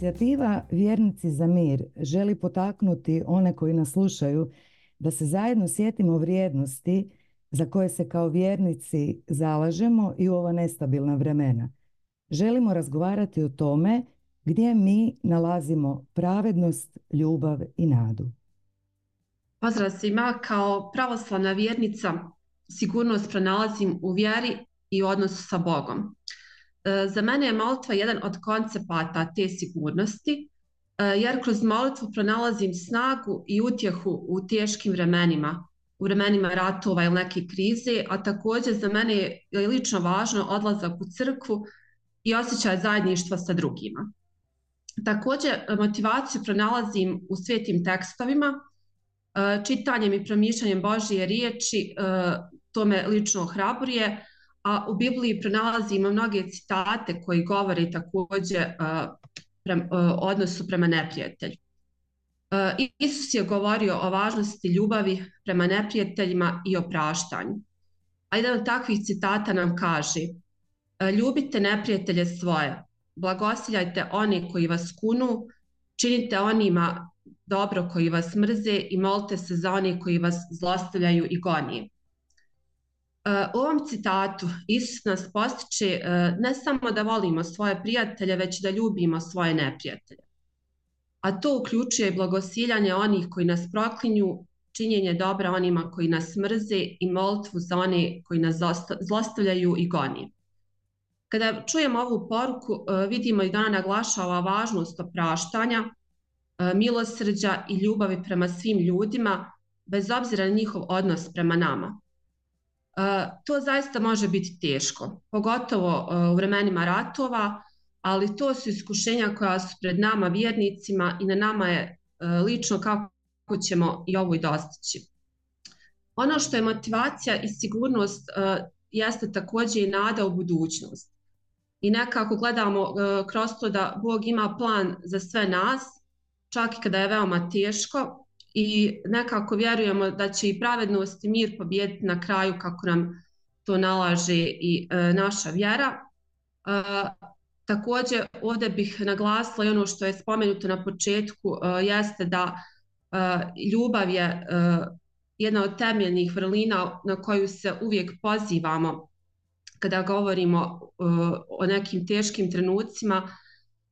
Inicijativa Vjernici za mir želi potaknuti one koji nas slušaju da se zajedno sjetimo vrijednosti za koje se kao vjernici zalažemo i u ova nestabilna vremena. Želimo razgovarati o tome gdje mi nalazimo pravednost, ljubav i nadu. Pozdrav svima, kao pravoslavna vjernica sigurnost pronalazim u vjeri i odnosu sa Bogom. Za mene je molitva jedan od koncepata te sigurnosti, jer kroz molitvu pronalazim snagu i utjehu u teškim vremenima, u vremenima ratova ili neke krize, a također za mene je lično važno odlazak u crkvu i osjećaj zajedništva sa drugima. Također motivaciju pronalazim u svetim tekstovima, čitanjem i promišljanjem Božje riječi, to me lično ohrabruje, a u Bibliji pronalazimo mnoge citate koji govore također o odnosu prema neprijatelju. Isus je govorio o važnosti ljubavi prema neprijateljima i opraštanju. A jedan od takvih citata nam kaže: ljubite neprijatelje svoje, blagosiljajte one koji vas kunu, činite onima dobro koji vas mrze i molite se za one koji vas zlostavljaju i goni. U ovom citatu Isus nas postiče ne samo da volimo svoje prijatelje, već da ljubimo svoje neprijatelje. A to uključuje blagosiljanje onih koji nas proklinju, činjenje dobra onima koji nas mrze i molitvu za one koji nas zlostavljaju i goni. Kada čujemo ovu poruku, vidimo i da ona naglašava važnost opraštanja, milosrđa i ljubavi prema svim ljudima, bez obzira na njihov odnos prema nama. To zaista može biti teško, pogotovo u vremenima ratova, ali to su iskušenja koja su pred nama vjernicima i na nama je lično kako ćemo i ovo i dostići. Ono što je motivacija i sigurnost jeste također i nada u budućnost. I nekako gledamo kroz to da Bog ima plan za sve nas, čak i kada je veoma teško, i nekako vjerujemo da će i pravednost i mir pobijediti na kraju kako nam to nalaže i naša vjera. Također ovdje bih naglasila i ono što je spomenuto na početku, jeste da ljubav je jedna od temeljnih vrlina na koju se uvijek pozivamo kada govorimo o nekim teškim trenucima,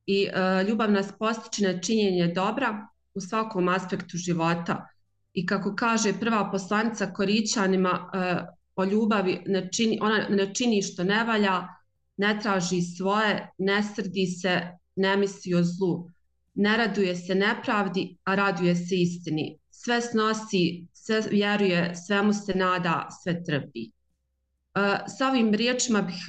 i ljubav nas postiče na činjenje dobra u svakom aspektu života. I kako kaže prva poslanica Korićanima o ljubavi, ona ne čini što ne valja, ne traži svoje, ne srdi se, ne misli o zlu, ne raduje se nepravdi, a raduje se istini. Sve snosi, sve vjeruje, svemu se nada, sve trpi. Sa ovim riječima bih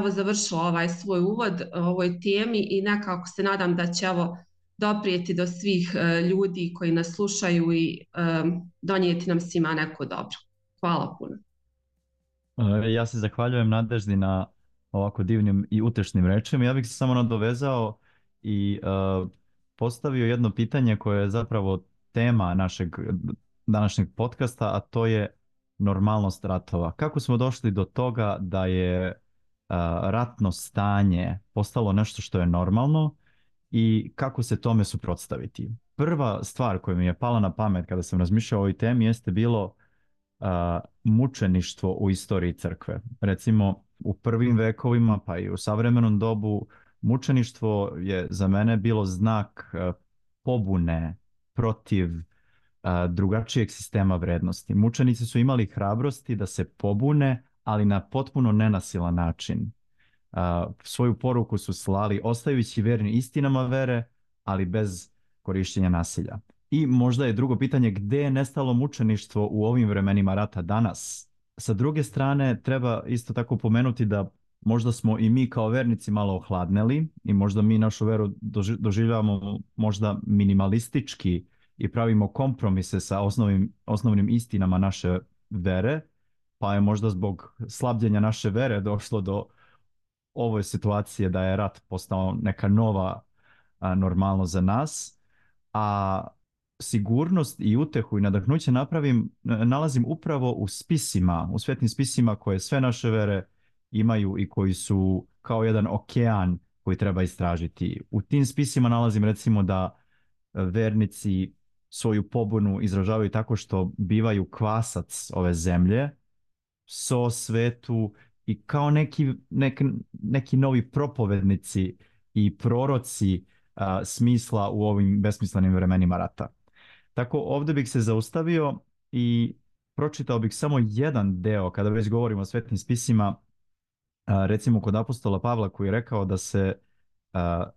završila ovaj svoj uvod o ovoj temi i nekako se nadam da će ovo doprijeti do svih ljudi koji nas slušaju i donijeti nam svima neko dobro. Hvala puno. Ja se zahvaljujem Nadeždi na ovako divnim i utešnim rečima. Ja bih se samo nadovezao i postavio jedno pitanje koje je zapravo tema našeg današnjeg podcasta, a to je normalnost ratova. Kako smo došli do toga da je ratno stanje postalo nešto što je normalno i kako se tome suprotstaviti? Prva stvar koja mi je pala na pamet kada sam razmišljao o ovoj temi jeste bilo mučeništvo u istoriji crkve. Recimo u prvim vekovima pa i u savremenom dobu mučeništvo je za mene bilo znak pobune protiv drugačijeg sistema vrednosti. Mučenici su imali hrabrosti da se pobune, ali na potpuno nenasilan način. Svoju poruku su slali ostajući verni istinama vere, ali bez korištenja nasilja. I možda je drugo pitanje, gdje je nestalo mučeništvo u ovim vremenima rata danas? Sa druge strane, treba isto tako pomenuti da možda smo i mi kao vernici malo ohladneli i možda mi našu veru doživljavamo možda minimalistički i pravimo kompromise sa osnovnim istinama naše vere, pa je možda zbog slabljenja naše vere došlo do ove situacije da je rat postao neka nova normalnost za nas, a sigurnost i utehu i nadahnuće nalazim upravo u spisima, u svetim spisima koje sve naše vere imaju i koji su kao jedan okean koji treba istražiti. U tim spisima nalazim recimo da vernici svoju pobunu izražavaju tako što bivaju kvasac ove zemlje, so svetu i kao neki novi propovednici i proroci smisla u ovim besmislenim vremenima rata. Tako ovdje bih se zaustavio i pročitao bih samo jedan deo kada već govorimo o svetim spisima, recimo kod apostola Pavla koji je rekao da se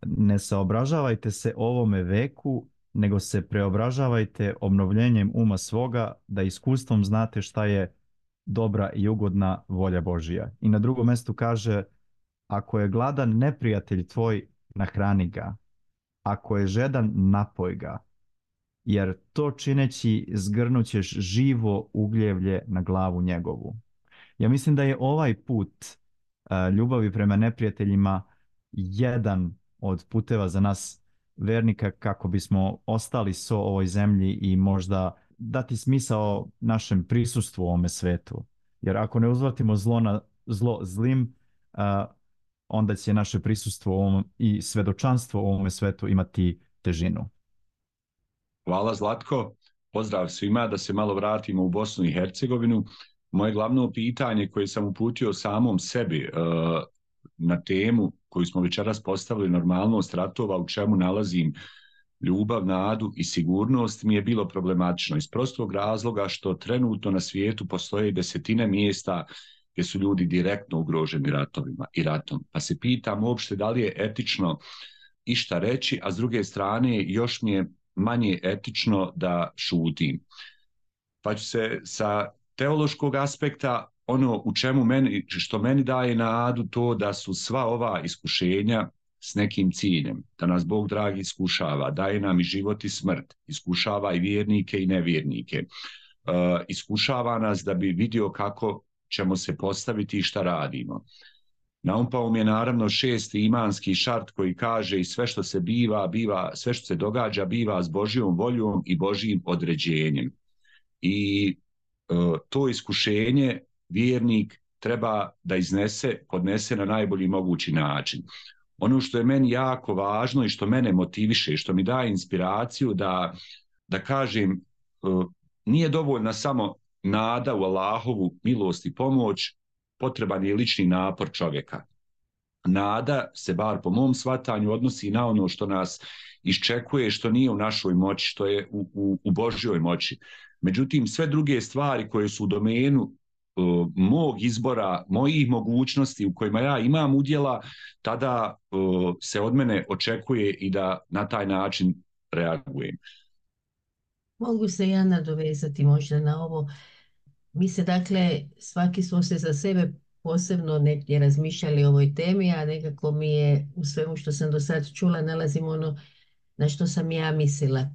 ne saobražavajte se ovome veku, nego se preobražavajte obnovljenjem uma svoga, da iskustvom znate šta je dobra i ugodna volja Božija. I na drugom mjestu kaže, ako je gladan neprijatelj tvoj, nahrani ga. Ako je žedan, napoj ga. Jer to čineći zgrnućeš živo ugljevlje na glavu njegovu. Ja mislim da je ovaj put ljubavi prema neprijateljima jedan od puteva za nas vernika kako bismo ostali so ovoj zemlji i možda dati smisao našem prisustvu u ovome svetu. Jer ako ne uzvratimo zlo zlim, onda će naše prisustvo i svedočanstvo u ovome svetu imati težinu. Hvala Zlatko. Pozdrav svima. Da se malo vratimo u Bosnu i Hercegovinu. Moje glavno pitanje koje sam uputio samom sebi na temu koju smo večeras postavili, normalnost ratova, u čemu nalazim ljubav, nadu i sigurnost, mi je bilo problematično iz prostog razloga što trenutno na svijetu postoje desetine mjesta gdje su ljudi direktno ugroženi ratovima i ratom. Pa se pitam uopšte da li je etično išta reći, a s druge strane još mi je manje etično da šutim. Pa ću se sa teološkog aspekta, ono u čemu što meni daje nadu, to da su sva ova iskušenja s nekim ciljem, da nas Bog dragi iskušava, daje nam i život i smrt, iskušava i vjernike i nevjernike, iskušava nas da bi vidio kako ćemo se postaviti i šta radimo. Naumpao mi je naravno 6. imanski šart koji kaže i sve što se sve što se događa biva s Božjom voljom i Božjim određenjem. I to iskušenje vjernik treba da podnese na najbolji mogući način. Ono što je meni jako važno i što mene motiviše, što mi daje inspiraciju da kažem, nije dovoljna samo nada u Allahovu milost i pomoć, potreban je lični napor čovjeka. Nada se, bar po mom shvatanju, odnosi na ono što nas iščekuje, što nije u našoj moći, što je u Božjoj moći. Međutim, sve druge stvari koje su u domenu mog izbora, mojih mogućnosti u kojima ja imam udjela, tada se od mene očekuje i da na taj način reagujem. Mogu se ja nadovezati možda na ovo. Mi se dakle, svaki smo se za sebe posebno negdje razmišljali o ovoj temi, a nekako mi je u svemu što sam do sad čula nalazim ono na što sam ja mislila.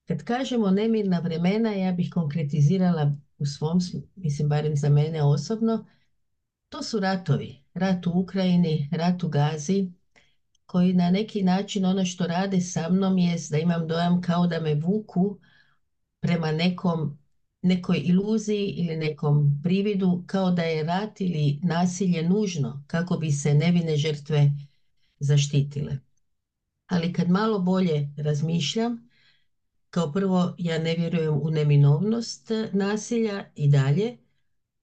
Kad kažemo nemirna vremena, ja bih konkretizirala u svom, mislim barem za mene osobno, to su ratovi. Rat u Ukrajini, rat u Gazi, koji na neki način ono što rade sa mnom je da imam dojam kao da me vuku prema nekoj iluziji ili nekom prividu, kao da je rat ili nasilje nužno kako bi se nevine žrtve zaštitile. Ali kad malo bolje razmišljam, kao prvo, ja ne vjerujem u neminovnost nasilja i dalje,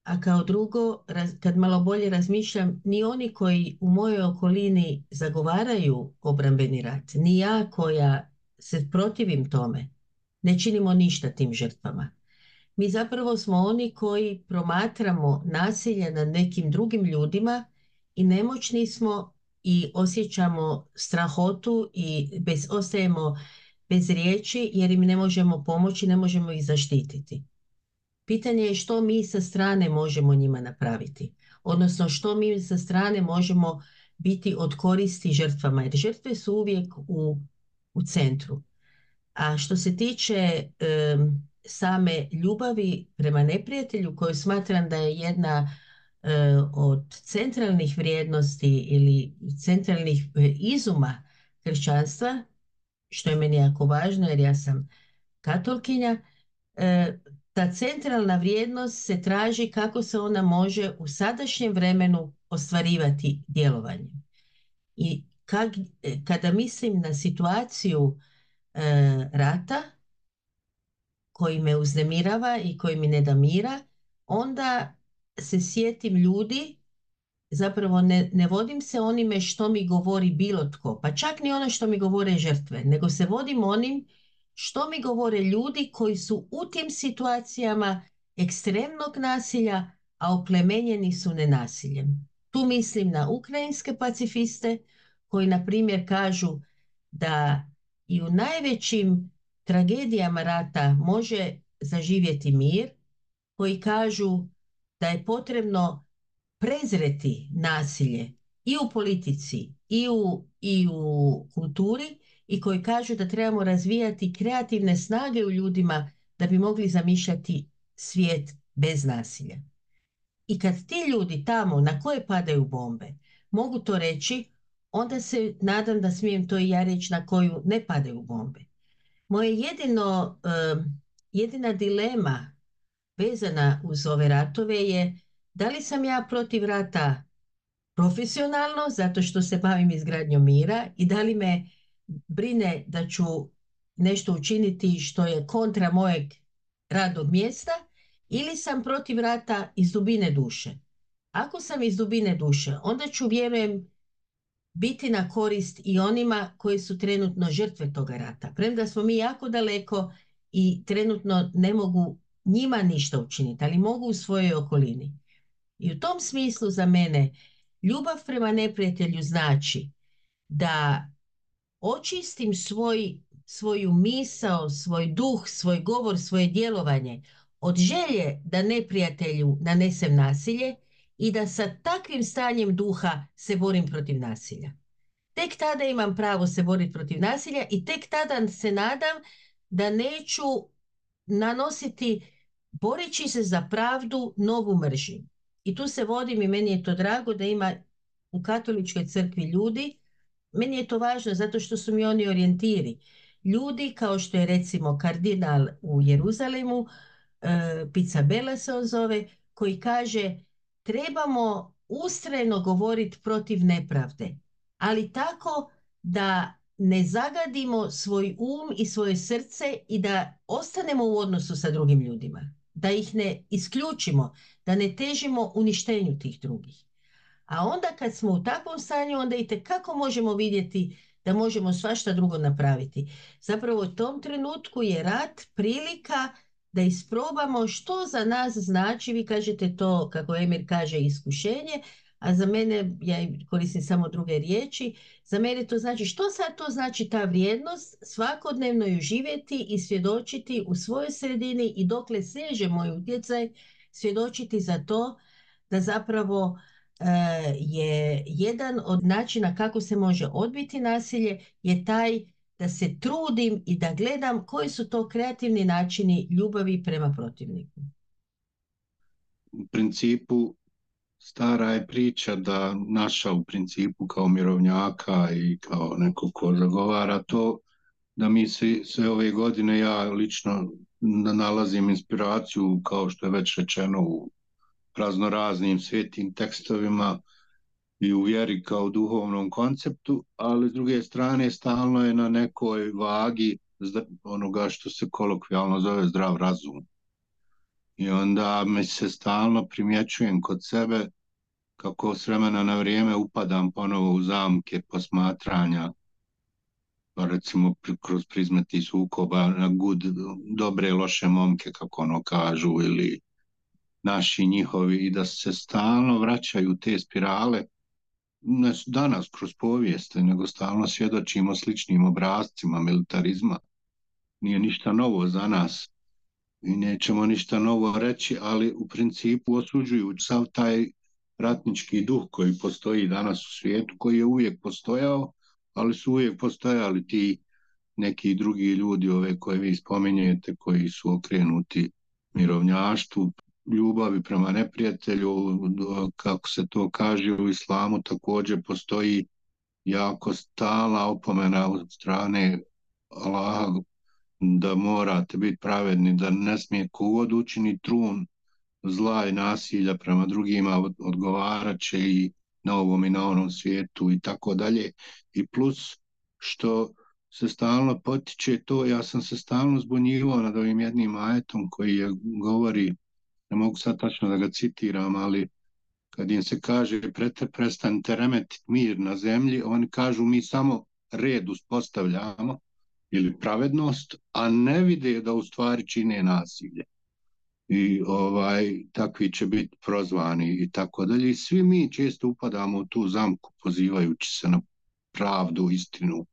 a kao drugo, kad malo bolje razmišljam, ni oni koji u mojoj okolini zagovaraju obrambeni rat, ni ja koja se protivim tome, ne činimo ništa tim žrtvama. Mi zapravo smo oni koji promatramo nasilje nad nekim drugim ljudima i nemoćni smo i osjećamo strahotu i ostajemo bez riječi jer im ne možemo pomoći, ne možemo ih zaštititi. Pitanje je što mi sa strane možemo njima napraviti, odnosno što mi sa strane možemo biti od koristi žrtvama, jer žrtve su uvijek u centru. A što se tiče same ljubavi prema neprijatelju, koju smatram da je jedna od centralnih vrijednosti ili centralnih izuma kršćanstva, što je meni jako važno jer ja sam katolkinja, ta centralna vrijednost se traži kako se ona može u sadašnjem vremenu ostvarivati djelovanjem. I kada mislim na situaciju rata koji me uznemirava i koji mi ne da mira, onda se sjetim ljudi, zapravo ne vodim se onime što mi govori bilo tko, pa čak ni ono što mi govore žrtve, nego se vodim onim što mi govore ljudi koji su u tim situacijama ekstremnog nasilja, a oplemenjeni su nenasiljem. Tu mislim na ukrajinske pacifiste koji, na primjer, kažu da i u najvećim tragedijama rata može zaživjeti mir, koji kažu da je potrebno prezreti nasilje i u politici i u kulturi i koji kažu da trebamo razvijati kreativne snage u ljudima da bi mogli zamišljati svijet bez nasilja. I kad ti ljudi tamo na koje padaju bombe mogu to reći, onda se nadam da smijem to i ja reći na koju ne padaju bombe. Moje jedina dilema vezana uz ove ratove je da li sam ja protiv rata profesionalno, zato što se bavim izgradnjom mira, i da li me brine da ću nešto učiniti što je kontra mojeg radnog mjesta, ili sam protiv rata iz dubine duše. Ako sam iz dubine duše, onda ću, vjerujem, biti na korist i onima koji su trenutno žrtve toga rata. Premda smo mi jako daleko i trenutno ne mogu njima ništa učiniti, ali mogu u svojoj okolini. I u tom smislu za mene ljubav prema neprijatelju znači da očistim svoju misao, svoj duh, svoj govor, svoje djelovanje od želje da neprijatelju nanesem nasilje i da sa takvim stanjem duha se borim protiv nasilja. Tek tada imam pravo se boriti protiv nasilja i tek tada se nadam da neću nanositi, boreći se za pravdu, novu mržnju. I tu se vodim i meni je to drago da ima u katoličkoj crkvi ljudi. Meni je to važno zato što su mi oni orijentiri. Ljudi kao što je recimo kardinal u Jeruzalemu, Pizzabella se on zove, koji kaže trebamo ustrajno govoriti protiv nepravde, ali tako da ne zagadimo svoj i svoje srce i da ostanemo u odnosu sa drugim ljudima, da ih ne isključimo, da ne težimo uništenju tih drugih. A onda kad smo u takvom stanju, onda itekako možemo vidjeti da možemo svašta drugo napraviti. Zapravo u tom trenutku je rat prilika da isprobamo što za nas znači, vi kažete to, kako Emir kaže, iskušenje, a za mene, ja koristim samo druge riječi, za mene to znači, što sad to znači ta vrijednost, svakodnevno ju živjeti i svjedočiti u svojoj sredini i dokle seže moj utjecaj, svjedočiti za to da zapravo je jedan od načina kako se može odbiti nasilje je taj da se trudim i da gledam koji su to kreativni načini ljubavi prema protivniku. U principu stara je priča da naša u principu kao mirovnjaka i kao neko ko zagovara to, da mi sve ove godine ja lično nalazim inspiraciju, kao što je već rečeno, u raznoraznim svetim tekstovima i u vjeri kao duhovnom konceptu, ali s druge strane stalno je na nekoj vagi onoga što se kolokvijalno zove zdrav razum. I onda me se stalno primjećujem kod sebe kako s vremena na vrijeme upadam ponovo u zamke posmatranja, recimo kroz prizme tih sukoba na dobre i loše momke, kako ono kažu, ili naši njihovi, i da se stalno vraćaju te spirale, ne danas kroz povijest, nego stalno svjedočimo sličnim obrascima militarizma. Nije ništa novo za nas i nećemo ništa novo reći, ali u principu osuđujući sav taj ratnički duh koji postoji danas u svijetu, koji je uvijek postojao, ali su uvijek postojali ti neki drugi ljudi, ove koje vi spominjete, koji su okrenuti mirovnjaštvu, ljubavi prema neprijatelju, kako se to kaže u islamu, također postoji jako stalna opomena od strane Allaha da morate biti pravedni, da ne smije kogod učini trun zla i nasilja prema drugima odgovarat će i na ovom i na onom svijetu i tako dalje. I plus što se stalno potiče to, ja sam se stalno zbunjivao nad ovim jednim ajetom koji govori, ne mogu sad tačno da ga citiram, ali kad im se kaže prestanite remetiti mir na zemlji, oni kažu mi samo red uspostavljamo ili pravednost, a ne vide da u stvari čine nasilje. I takvi će biti prozvani i tako dalje. I svi mi često upadamo u tu zamku pozivajući se na pravdu, istinu,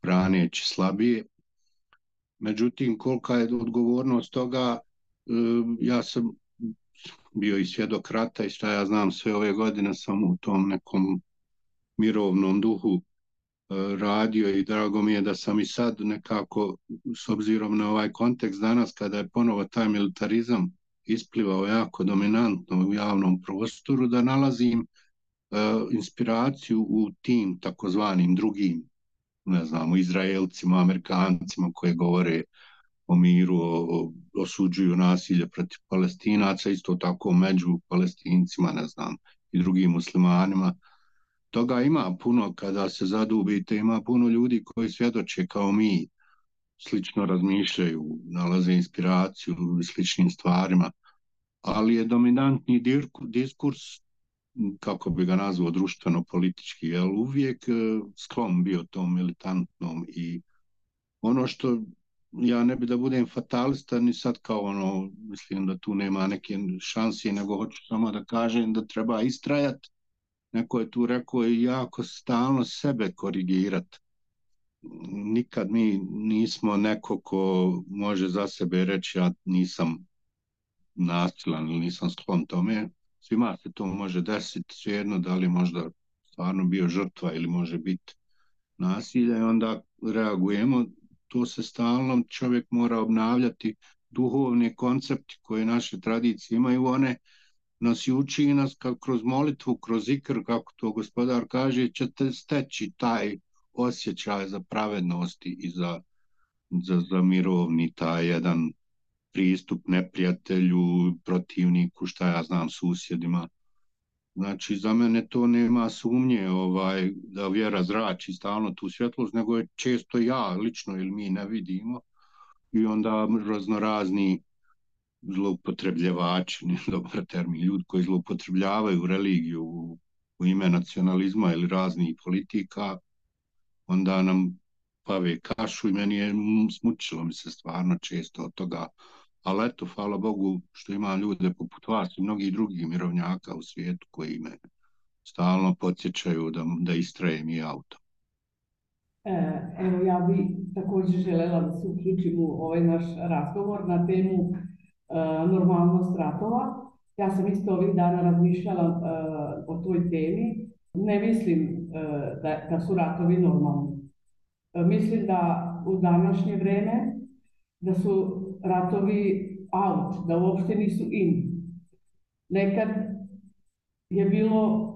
braneći slabije. Međutim, kolika je odgovornost toga, ja sam bio i svjedok rata i šta ja znam, sve ove godine sam u tom nekom mirovnom duhu radio i drago mi je da sam i sad nekako, s obzirom na ovaj kontekst danas kada je ponovo taj militarizam isplivao jako dominantno u javnom prostoru, da nalazim inspiraciju u tim takozvanim drugim, ne znam, Izraelcima, Amerikancima koje govore o miru, osuđuju nasilje protiv Palestinaca, isto tako među Palestincima, ne znam, i drugim muslimanima. Toga ima puno kada se zadubite, ima puno ljudi koji svjedoče kao mi, slično razmišljaju, nalaze inspiraciju u sličnim stvarima, ali je dominantni diskurs, kako bi ga nazvao društveno-politički, uvijek sklon bio tom militantnom i ono što ja ne bi da budem fatalista ni sad kao mislim da tu nema neke šanse, nego hoću samo da kažem da treba istrajati. Neko je tu rekao i jako stalno sebe korigirati. Nikad mi nismo neko ko može za sebe reći ja nisam nasilan ili nisam sklon tome. Svima se to može desiti, svejedno da li možda stvarno bio žrtva ili može biti nasilje i onda reagujemo. To se stalno čovjek mora obnavljati, duhovne koncepti koje naše tradicije imaju, one nas i uči nas kroz molitvu, kroz zikr, kako to gospodar kaže, ćete steći taj osjećaj za pravednosti i za mirovni taj jedan pristup neprijatelju, protivniku, šta ja znam, susjedima. Znači, za mene to nema sumnje da vjera zrači stalno tu svjetlost, nego je često ja lično ili mi ne vidimo i onda raznorazni zloupotrebljevači, nije dobar termin, ljudi koji zloupotrebljavaju religiju u ime nacionalizma ili raznih politika, onda nam pave kašu i meni je smučilo mi se stvarno često od toga. Ali eto, hvala Bogu što imam ljude poput vas i mnogih drugih mirovnjaka u svijetu koji me stalno podsjećaju da istrajem i auto. Evo, ja bi također želela da se uključim u ovaj naš razgovor na temu normalnost ratova. Ja sam isto ovih dana razmišljala o toj temi. Ne mislim da su ratovi normalni. Mislim da u današnje vreme da su ratovi out, da uopšte nisu in. Nekad je bilo,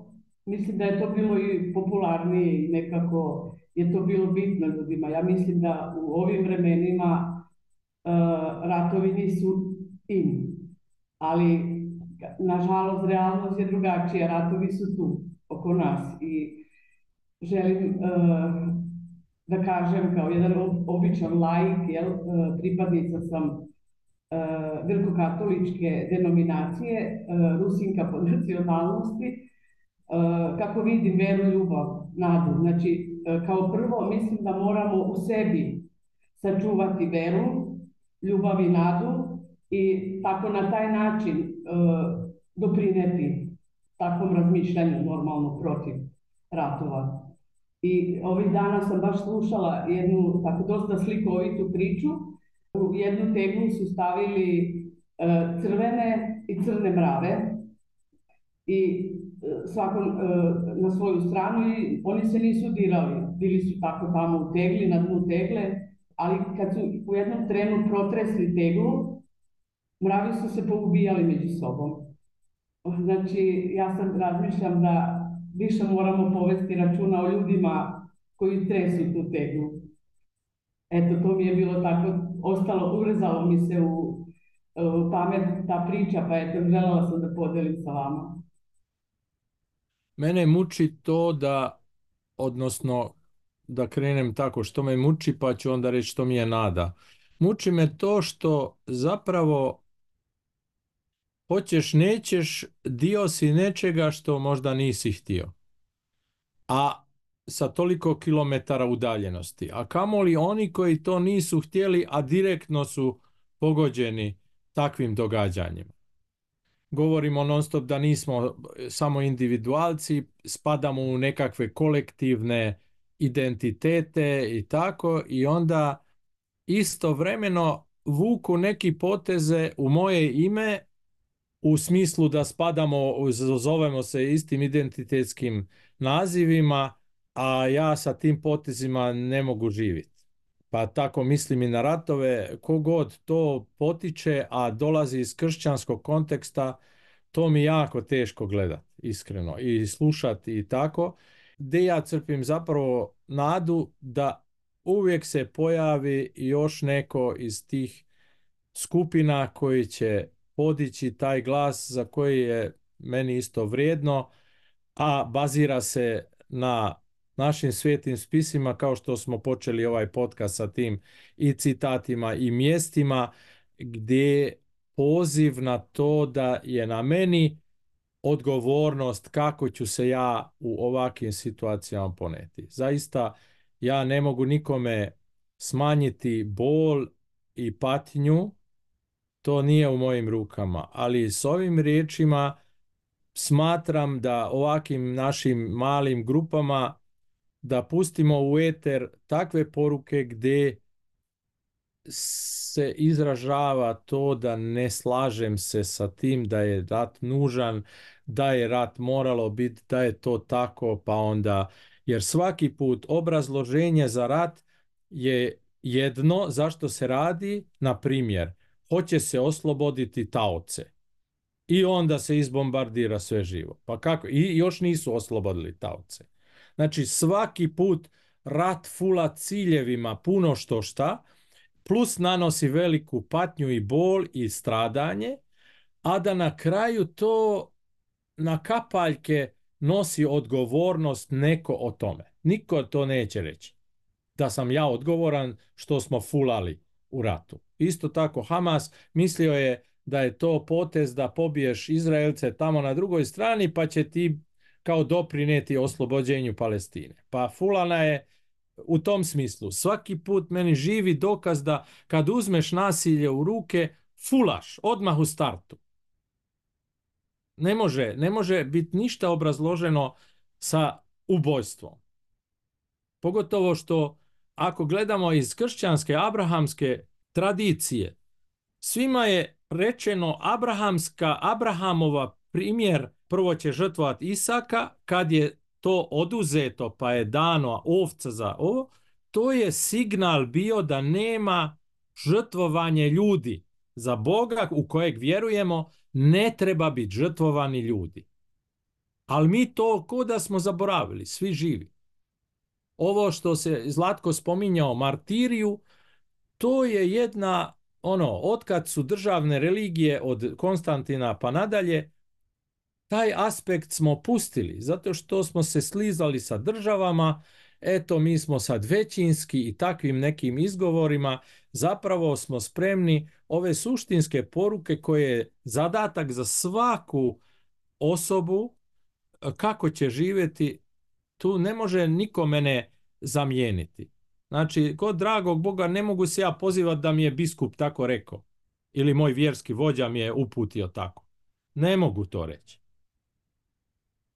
mislim da je to bilo i popularnije i nekako je to bilo bitno ljudima. Ja mislim da u ovim vremenima ratovi nisu in, ali nažalost realnost je drugačija, ratovi su tu oko nas i želim da kažem kao jedan običan laik, pripadnica sam grko-katoličke denominacije, Rusinka po nacionalnosti, kako vidim veru, ljubav, nadu. Znači, kao prvo mislim da moramo u sebi sačuvati veru, ljubav i nadu i tako na taj način doprineti takvom razmišljanju normalno protiv ratova. I ovih dana sam baš slušala jednu tako dosta slikovitu priču. U jednu teglu su stavili crvene i crne mrave i svako na svoju stranu i oni se nisu dirali. Bili su tako tamo u tegli, na dnu tegle, ali kad su u jednom trenu protresli teglu, mravi su se poubijali među sobom. Znači, ja sad razmišljam da više moramo povesti računa o ljudima koji tresu tu teglu. Eto, to mi je bilo tako, urezalo mi se u pamet ta priča, pa eto, želela sam da podelim sa vama. Mene muči to da, odnosno da krenem tako, što me muči, pa ću onda reći što mi je nada. Muči me to što zapravo hoćeš, nećeš, dio si nečega što možda nisi htio. A sa toliko kilometara udaljenosti. A kamoli oni koji to nisu htjeli, a direktno su pogođeni takvim događanjima. Govorimo non stop da nismo samo individualci, spadamo u nekakve kolektivne identitete i tako, i onda istovremeno vuku neki poteze u moje ime u smislu da spadamo, zovemo se istim identitetskim nazivima, a ja sa tim potezima ne mogu živjeti. Pa tako mislim i na ratove, kogod to potiče, a dolazi iz kršćanskog konteksta, to mi jako teško gledati, iskreno, i slušati i tako. Gdje ja crpim zapravo nadu da uvijek se pojavi još neko iz tih skupina koji će podići taj glas za koji je meni isto vrijedno, a bazira se na našim svetim spisima, kao što smo počeli ovaj podcast sa tim i citatima i mjestima, gdje poziv na to da je na meni odgovornost kako ću se ja u ovakvim situacijama poneti. Zaista ja ne mogu nikome smanjiti bol i patnju, to nije u mojim rukama, ali s ovim riječima smatram da ovakvim našim malim grupama da pustimo u eter takve poruke gdje se izražava to da ne slažem se sa tim da je rat nužan, da je rat moralo biti, da je to tako, pa onda, jer svaki put obrazloženje za rat je jedno, zašto se radi, na primjer, hoće se osloboditi taoce. I onda se izbombardira sve živo. Pa kako? I još nisu oslobodili taoce. Znači svaki put rat fula ciljevima puno što šta, plus nanosi veliku patnju i bol i stradanje, a da na kraju to na kapaljke nosi odgovornost neko o tome. Niko to neće reći. Da sam ja odgovoran što smo fulali u ratu. Isto tako Hamas mislio je da je to potez da pobiješ Izraelce tamo na drugoj strani, pa će ti kao doprineti oslobođenju Palestine. Pa fulana je u tom smislu. Svaki put meni živi dokaz da kad uzmeš nasilje u ruke, fulaš odmah u startu. Ne može biti ništa obrazloženo sa ubojstvom. Pogotovo što ako gledamo iz kršćanske, abrahamske tradicije, svima je rečeno Abrahamova primjer, prvo će žrtvovati Isaka, kad je to oduzeto pa je dano ovca za ovo, to je signal bio da nema žrtvovanje ljudi. Za Boga u kojeg vjerujemo ne treba biti žrtvovani ljudi. Ali mi to ko da smo zaboravili, svi živi. Ovo što se Zlatko spominjao, martiriju, to je jedna, otkad su državne religije od Konstantina pa nadalje, taj aspekt smo pustili, zato što smo se slizali sa državama, eto mi smo sad većinski i takvim nekim izgovorima, zapravo smo spremni ove suštinske poruke koje je zadatak za svaku osobu, kako će živjeti, tu ne može niko mene zamijeniti. Znači, kod dragog Boga ne mogu se ja pozivati da mi je biskup tako rekao ili moj vjerski vođa mi je uputio tako. Ne mogu to reći.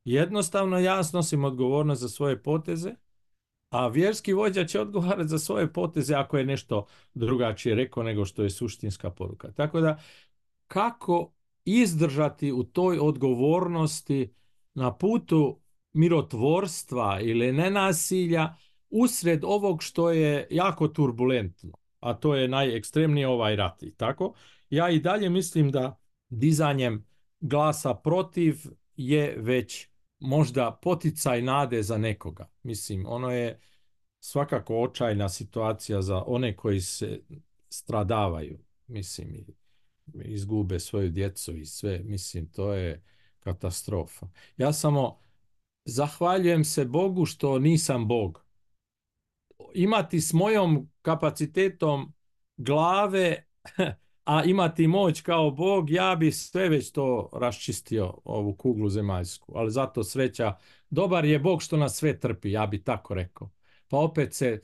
Jednostavno ja snosim odgovornost za svoje poteze, a vjerski vođa će odgovarati za svoje poteze ako je nešto drugačije rekao nego što je suštinska poruka. Tako da, kako izdržati u toj odgovornosti na putu mirotvorstva ili nenasilja usred ovog što je jako turbulentno, a to je najekstremnije ovaj rat. I tako, ja i dalje mislim da dizanjem glasa protiv je već možda poticaj nade za nekoga. Mislim, ono je svakako očajna situacija za one koji se stradavaju. Mislim, izgube svoju djecu i sve. Mislim, to je katastrofa. Ja samo zahvaljujem se Bogu što nisam Bog. Imati s mojom kapacitetom glave, a imati moć kao Bog, ja bi sve već to raščistio, ovu kuglu zemaljsku. Ali zato sreća, dobar je Bog što nas sve trpi, ja bi tako rekao. Pa opet se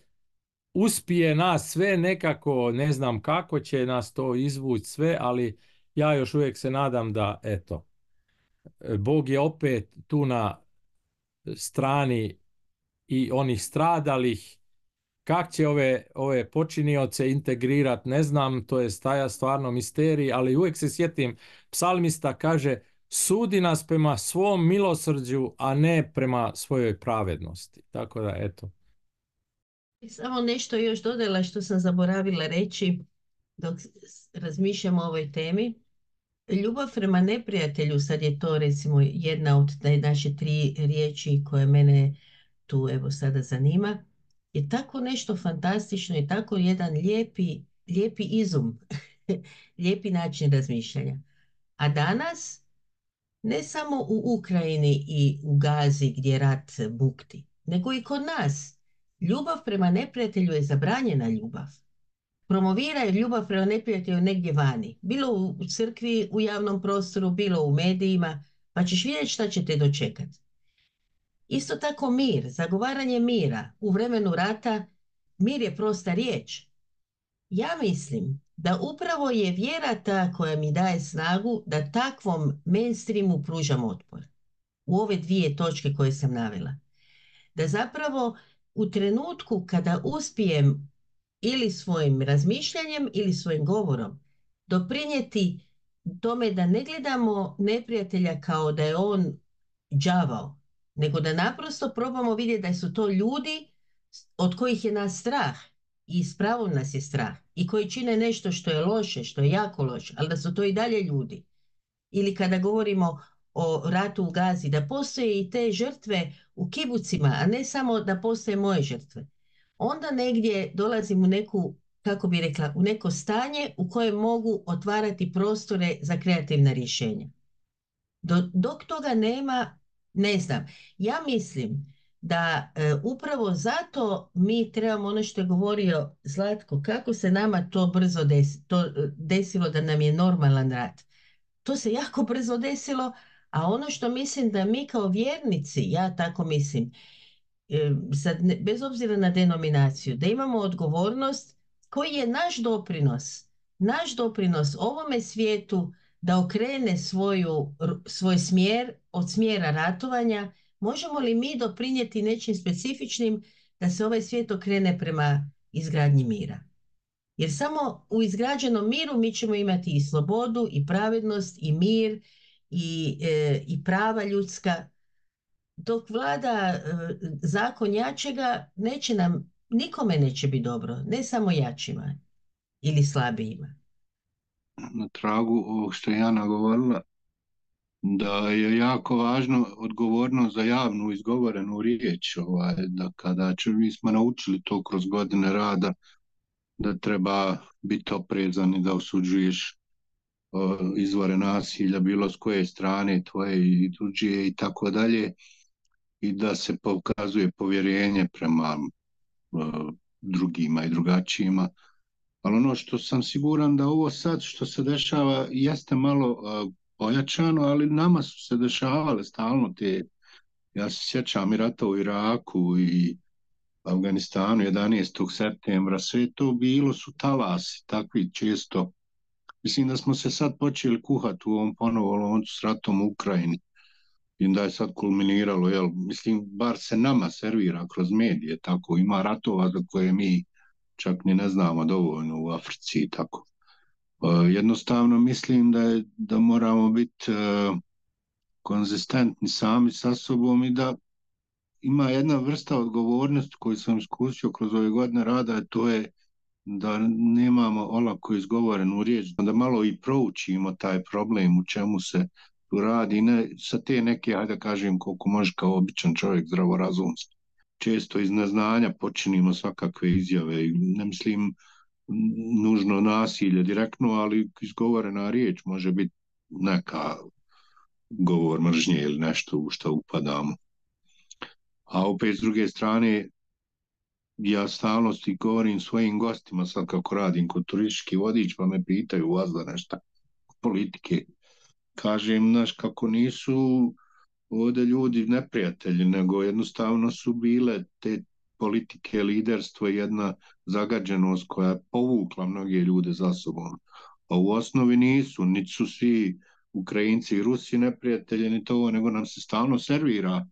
uspije nas sve nekako, ne znam kako će nas to izvući sve, ali ja još uvijek se nadam da, eto, Bog je opet tu na strani i onih stradalih. Kako će ove počinioce integrirati, ne znam, to je stvarno misterij, ali uvijek se sjetim, psalmista kaže, sudi nas prema svom milosrđu, a ne prema svojoj pravednosti. Tako da, eto. Samo nešto još dodala što sam zaboravila reći dok razmišljam o ovoj temi. Ljubav prema neprijatelju, sad je to recimo jedna od naše 3 riječi koje mene tu evo sada zanima, je tako nešto fantastično i tako jedan lijepi izum, lijepi način razmišljanja. A danas, ne samo u Ukrajini i u Gazi gdje rat bukti, nego i kod nas, ljubav prema neprijatelju je zabranjena ljubav. Promoviraju ljubav prema neprijatelju negdje vani, bilo u crkvi, u javnom prostoru, bilo u medijima, pa ćeš vidjeti šta će te dočekati. Isto tako mir, zagovaranje mira u vremenu rata, mir je prosta riječ. Ja mislim da upravo je vjera ta koja mi daje snagu da takvom mainstreamu pružam otpor. U ove 2 točke koje sam navela. Da zapravo u trenutku kada uspijem ili svojim razmišljanjem ili svojim govorom doprinijeti tome da ne gledamo neprijatelja kao da je on đavao, nego da naprosto probamo vidjeti da su to ljudi od kojih je nas strah i s pravom nas je strah i koji čine nešto što je loše, što je jako loše, ali da su to i dalje ljudi. Ili kada govorimo o ratu u Gazi, da postoje i te žrtve u kibucima, a ne samo da postoje moje žrtve. Onda negdje dolazim u neku, kako bi rekla, u neko stanje u kojem mogu otvarati prostore za kreativna rješenja. Dok toga nema, ne znam. Ja mislim da upravo zato mi trebamo, ono što je govorio Zlatko, kako se nama to brzo desilo da nam je normalan rat. To se jako brzo desilo, a ono što mislim da mi kao vjernici, ja tako mislim, sad, bez obzira na denominaciju, da imamo odgovornost koji je naš doprinos ovome svijetu da okrene svoj smjer od smjera ratovanja. Možemo li mi doprinijeti nečim specifičnim da se ovaj svijet okrene prema izgradnji mira? Jer samo u izgrađenom miru mi ćemo imati i slobodu, i pravednost, i mir, i prava ljudska. Dok vlada zakon jačega, nikome neće biti dobro, ne samo jačima ili slabijima. Na tragu ovog što je Jana govorila, da je jako važno odgovornost za javnu izgovorenu riječ, da kada mi smo naučili to kroz godine rada, da treba biti oprezan i da osuđuješ izvore nasilja, bilo s koje strane tvoje i tuđe i tako dalje, i da se pokazuje povjerenje prema drugima i drugačijima. Ali ono što sam siguran da ovo sad što se dešava jeste malo pojačano, ali nama su se dešavale stalno te, ja se sjećam i rata u Iraku i Afganistanu 11. septembra, sve to bilo su talasi, takvi često. Mislim da smo se sad počeli kuhati u ovom ponovo loncu s ratom u Ukrajini i da je sad kulminiralo, mislim, bar se nama servira kroz medije, tako, ima ratova za koje mi čak ni ne znamo dovoljno u Africi i tako. Jednostavno mislim da moramo biti konzistentni sami sa sobom i da ima jedna vrsta odgovornosti koju sam iskusio kroz ove godine rada, to je da nemamo olako izgovorenu riječ, da malo i proučimo taj problem u čemu se tu radi, ne sa te neke, hajde da kažem, koliko može kao običan čovjek zdravorazumski. Često iz neznanja počinimo svakakve izjave i ne mislim nužno nasilje direktno, ali izgovorena riječ može biti neka govor mržnje ili nešto u što upadamo. A opet s druge strane, ja stalno govorim svojim gostima, sad kako radim kod turistički vodič, pa me pitaju vas da nešto politike. Kažem, znaš, kako nisu ovdje ljudi neprijatelji, nego jednostavno su bile te politike, liderstvo, jedna zagađenost koja je povukla mnoge ljude za sobom. A u osnovi nisu, niti su svi Ukrajinci i Rusi neprijatelji, ni to, nego nam se stalno servira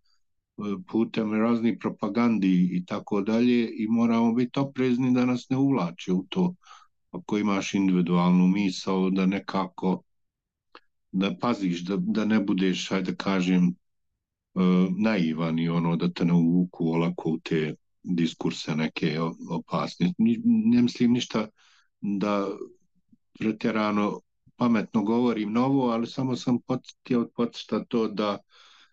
putem raznih propagandi i tako dalje i moramo biti oprezni da nas ne uvlače u to. Ako imaš individualnu misao, da nekako da paziš, da ne budeš, hajde kažem, naivan i ono da te ne uvuku olako u te diskurse neke opasne. Ne mislim ništa da pretjerano pametno govorim novo, ali samo sam htio podsjetiti to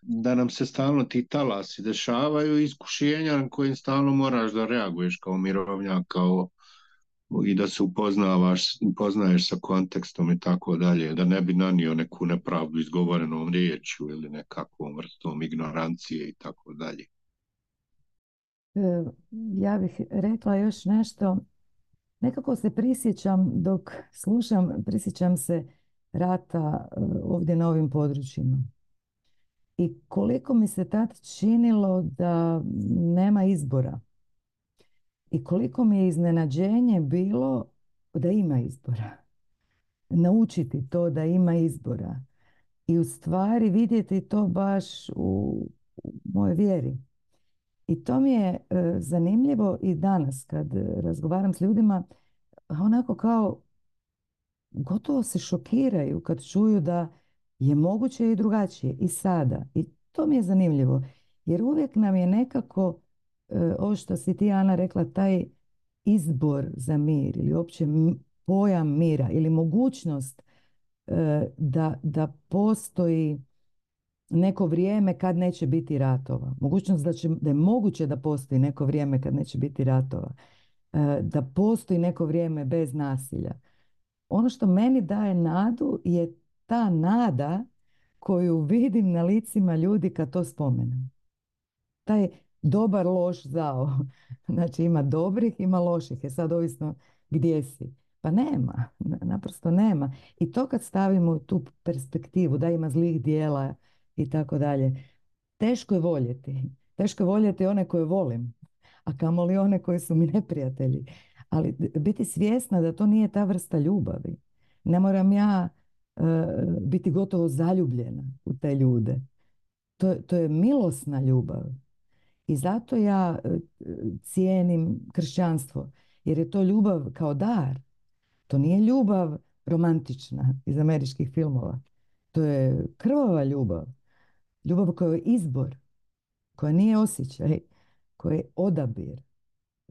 da nam se stalno ti talasi dešavaju, iskušenja na kojim stalno moraš da reaguješ kao mirovnjak, i da se upoznaješ sa kontekstom i tako dalje, da ne bi nanio neku nepravdu izgovorenom riječju ili nekakvom vrstom ignorancije i tako dalje. Ja bih rekla još nešto. Nekako se prisjećam, dok slušam, prisjećam se rata ovdje na ovim područjima. I koliko mi se tad činilo da nema izbora. I koliko mi je iznenađenje bilo da ima izbora. Naučiti to da ima izbora. I u stvari vidjeti to baš u mojoj vjeri. I to mi je zanimljivo i danas kad razgovaram s ljudima, onako kao gotovo se šokiraju kad čuju da je moguće i drugačije i sada. I to mi je zanimljivo. Jer uvijek nam je nekako, ovo što si ti, Ana, rekla, taj izbor za mir ili uopće pojam mira ili mogućnost da postoji neko vrijeme kad neće biti ratova. Mogućnost da je moguće da postoji neko vrijeme kad neće biti ratova. Da postoji neko vrijeme bez nasilja. Ono što meni daje nadu je ta nada koju vidim na licima ljudi kad to spomenem. Taj dobar, loš, zao. Znači ima dobrih, ima loših. Je sad ovisno gdje si. Pa nema. Naprosto nema. I to kad stavimo tu perspektivu da ima zlih dijela i tako dalje. Teško je voljeti. Teško je voljeti one koje volim. A kamoli one koji su mi neprijatelji. Ali biti svjesna da to nije ta vrsta ljubavi. Ne moram ja biti gotovo zaljubljena u te ljude. To je milosna ljubav. I zato ja cijenim kršćanstvo. Jer je to ljubav kao dar. To nije ljubav romantična iz američkih filmova. To je krvava ljubav. Ljubav koja je izbor. Koja nije osjećaj. Koja je odabir.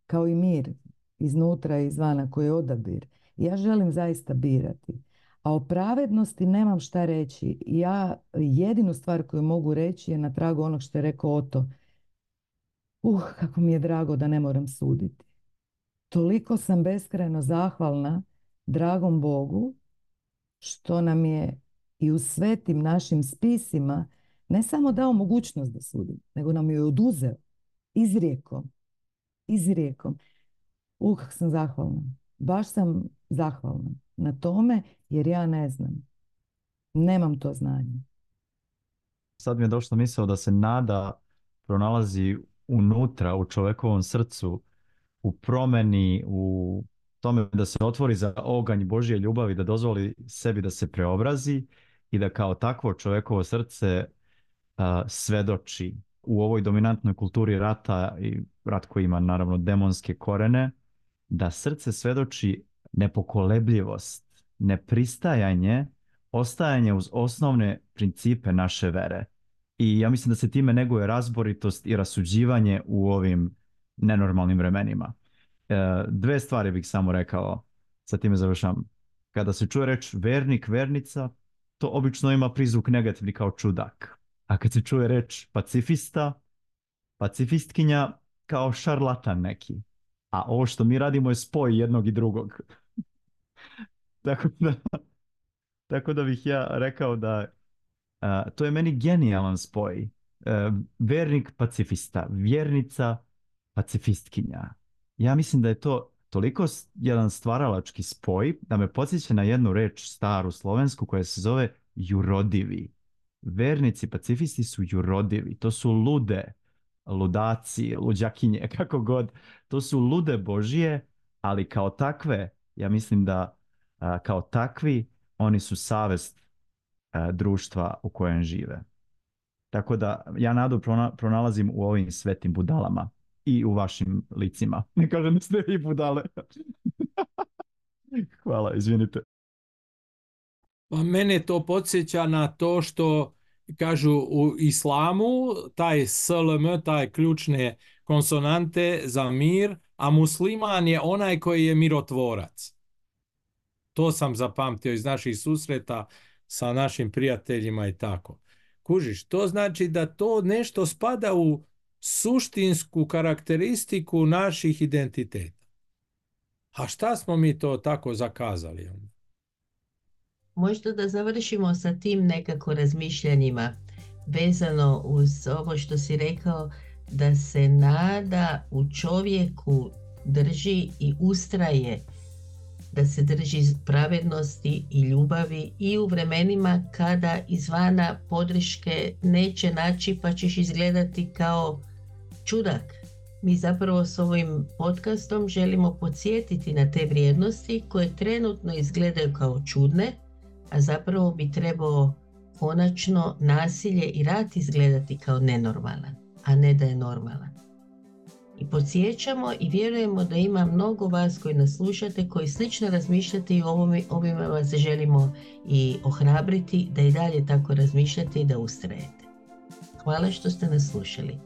Kao i mir iznutra i izvana koji je odabir. I ja želim zaista birati. A o pravednosti nemam šta reći. Ja jedinu stvar koju mogu reći je na tragu onog što je rekao Oto. Kako mi je drago da ne moram suditi. Toliko sam beskrajno zahvalna dragom Bogu što nam je i u svetim našim spisima ne samo dao mogućnost da sudim, nego nam je oduzeo izrijekom. Kako sam zahvalna. Baš sam zahvalna na tome jer ja ne znam. Nemam to znanje. Sad mi je došla misao da se nada pronalazi unutra, u čovjekovom srcu, u promjeni, u tome da se otvori za oganj Božje ljubavi, da dozvoli sebi da se preobrazi i da kao takvo čovjekovo srce svedoči u ovoj dominantnoj kulturi rata, i rat koji ima naravno demonske korene, da srce svedoči nepokolebljivost, nepristajanje, ostajanje uz osnovne principe naše vere. I ja mislim da se time neguje razboritost i rasuđivanje u ovim nenormalnim vremenima. Dve stvari bih samo rekao, sa time završam. Kada se čuje reč vernik, vernica, to obično ima prizvuk negativni kao čudak. A kad se čuje reč pacifista, pacifistkinja, kao šarlatan neki. A ovo što mi radimo je spoj jednog i drugog. Tako da bih ja rekao da to je meni genijalan spoj. vernik pacifista, vjernica pacifistkinja. Ja mislim da je to toliko jedan stvaralački spoj da me podsjeća na jednu reč staru slovensku koja se zove jurodivi. Vernici pacifisti su jurodivi, to su lude, ludaci, luđakinje, kako god. To su lude Božije, ali kao takve, ja mislim da kao takvi oni su savest društva u kojem žive. Tako da ja nadu pronalazim u ovim svetim budalama i u vašim licima. Ne kažem da ste vi budale. Hvala, izvinite. Pa mene to podsjeća na to što kažu u islamu, taj SLM, taj ključne konsonante za mir, a musliman je onaj koji je mirotvorac. To sam zapamtio iz naših susreta sa našim prijateljima i tako. Kužiš, to znači da to nešto spada u suštinsku karakteristiku naših identiteta. A šta smo mi to tako zakazali? Možda da završimo sa tim nekako razmišljanjima vezano uz ovo što si rekao, da se nada u čovjeku drži i ustraje, da se drži pravednosti i ljubavi i u vremenima kada izvana podrške neće naći pa ćeš izgledati kao čudak. Mi zapravo s ovim podcastom želimo podsjetiti na te vrijednosti koje trenutno izgledaju kao čudne, a zapravo bi trebao konačno nasilje i rat izgledati kao nenormalan, a ne da je normalan. I podsjećamo i vjerujemo da ima mnogo vas koji nas slušate, koji slično razmišljate i ovime vas želimo i ohrabriti da i dalje tako razmišljate i da ustrajete. Hvala što ste nas slušali.